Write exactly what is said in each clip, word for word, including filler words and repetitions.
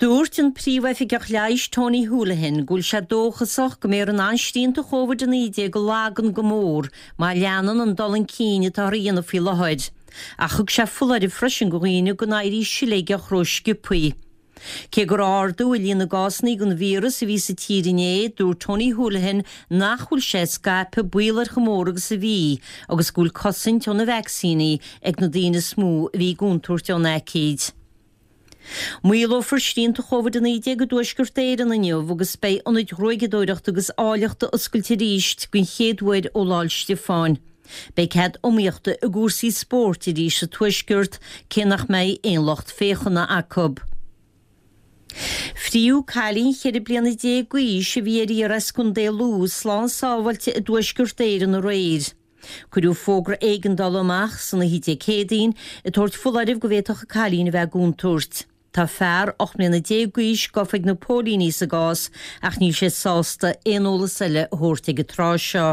Dúirt an príomhoifigeach leighis Tony Holohan go bhfuil sé dóchasach go mbeifear in ann srianta Covid a naoi déag a laghdú go mór má leanann an dul chun cinn atá á dhéanamh faoi láthair. Ach thug sé foláireamh freisin do dhaoine go n-éirí siléigeach ró-sciobtha. Cé gur ardú i líon na gcásanna den víreas a bhí sa tír inné, dúirt Tony Holohan nach bhfuil sé ag scaipeadh baol air chomh mór agus a bhí, agus go bhfuil cosaint ó na vacsaíní ag na daoine is mó a bhí i gcontúirt ón aicíd. Maolófar srianta Covid a naoi déag i dTuaisceart Éireann inniu agus beidh ionaid ghruaigeadóireachta agus áilleachta oscailte arís den chéad uair ó Lá 'le Stiofáin. Beidh cead iomaíochta i gcúrsaí spóirt arís sa Tuaisceart cé nach mbeidh aon lucht féachana acu. Fríodh cailín cheithre bliana déag d'aois a bhí ar iarraidh as Contae Lú slán sábháilte i dTuaisceart Éireann aréir. Cuireadh fógra éigeandála amach san oíche Dé Céadaoin ag tabhairt foláirimh go bhféadfadh an cailín a bheith i gcontúirt. Tá fear ocht mbliana déag d'aois gafa ag na póilíní sa gcás ach níl sé sásta aon eolas eile a thabhairt ag an tráth seo.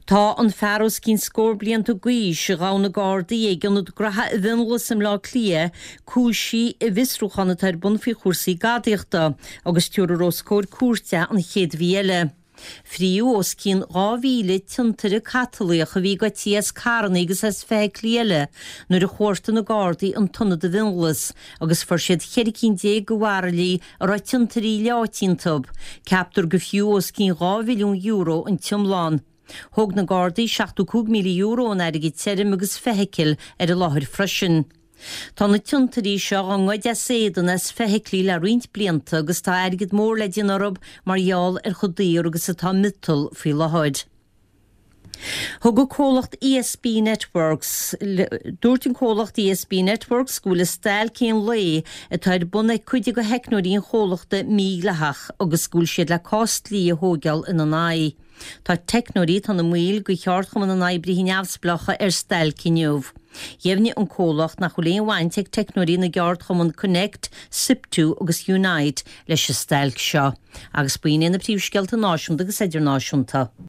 Tá an fear os cionn scór blianta d'aois a ghabh na Gardaí ag ionad graithe i bhFionnghlas i mBleá Cliath cúisithe i bhfiosrúchán atá ar bun faoi chúrsaí gadaíochta agus tabharfar os comhair cúirte an chéad mhí eile. Fríodh os cionn dhá mhíle tiontaire catalaíoch a bhí goidte as carranna agus as feithiclí eile nuair a chuartaigh na Gardaí an t-ionad i bhFionnghlas agus fuair siad ceithre cinn déag de bhairillí a raibh tiontairí leáite iontu. Ceaptar gur fiú os cionn dhá mhilliún euro an t-iomlán. Thóg na Gardaí seachtó cúig míle euro in airgead tirim agus feithicil ar an láthair freisin. Tá na tiontairí seo á ngoid as éadan as feithiclí le roinnt blianta agus tá airgead mór le déanamh orthu mar gheall ar chomh daor agus atá miotal faoi láthair. Thug an comhlacht ESB Networks dúirt an comhlacht ESB Networks go bhfuil an stailc aon lae atá ar bun ag cuid de theicneoirí an chomhlachta mídhleathach agus go bhfuil siad le cás dlí a thógáil ina n-aghaidh. Tá teicneoirí atá ina mbaill de cheardchumann na n-oibrithe neamhspleácha ar stailc inniu. Dheimhnigh an comhlacht nach bhfuil aon bhaint ag teicneoirí na gceardchumann Connect, SIPTU agus Unite leis an stailc seo. Agus b'in na príomhscéalta náisiúnta agus idirnáisiúnta.